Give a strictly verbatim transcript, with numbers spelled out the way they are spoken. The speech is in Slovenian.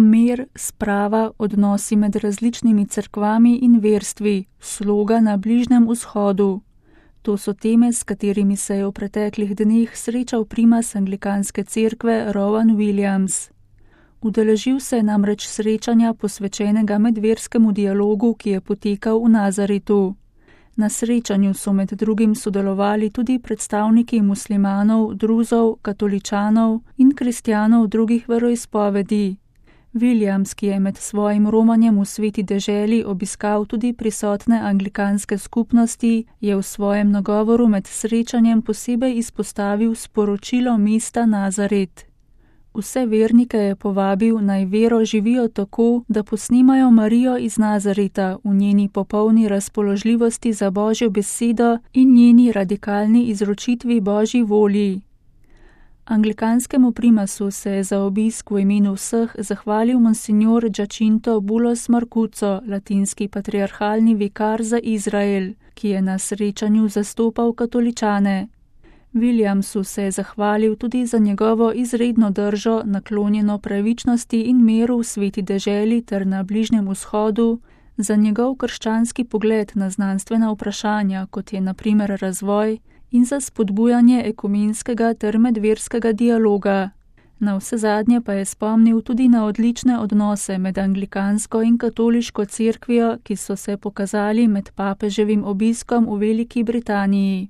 Mir, sprava, odnosi med različnimi cerkvami in verstvi, sloga na Bližnjem vzhodu. To so teme, s katerimi se je v preteklih dneh srečal primas anglikanske cerkve Rowan Williams. Udeležil se je namreč srečanja posvečenega medverskemu dialogu, ki je potekal v Nazaretu. Na srečanju so med drugim sodelovali tudi predstavniki muslimanov, druzov, katoličanov in kristjanov drugih veroizpovedi. Williams, ki je med svojim romanjem v Sveti deželi obiskal tudi prisotne anglikanske skupnosti, je v svojem nagovoru med srečanjem posebej izpostavil sporočilo mesta Nazaret. Vse vernike je povabil, naj vero živijo tako, da posnemajo Marijo iz Nazareta v njeni popolni razpoložljivosti za Božjo besedo in njeni radikalni izročitvi Božji volji. Anglikanskemu primasu se je za obisk v imenu vseh zahvalil monsignor Giacinto Bulos Marcucco, latinski patriarhalni vikar za Izrael, ki je na srečanju zastopal katoličane. Williamsu se je zahvalil tudi za njegovo izredno držo, naklonjeno pravičnosti in miru v Sveti deželi ter na Bližnjem vzhodu, za njegov krščanski pogled na znanstvena vprašanja, kot je na primer razvoj, in za spodbujanje ekumenskega ter medverskega dialoga. Na vsezadnje pa je spomnil tudi na odlične odnose med anglikansko in katoliško cerkvijo, ki so se pokazali med papeževim obiskom v Veliki Britaniji.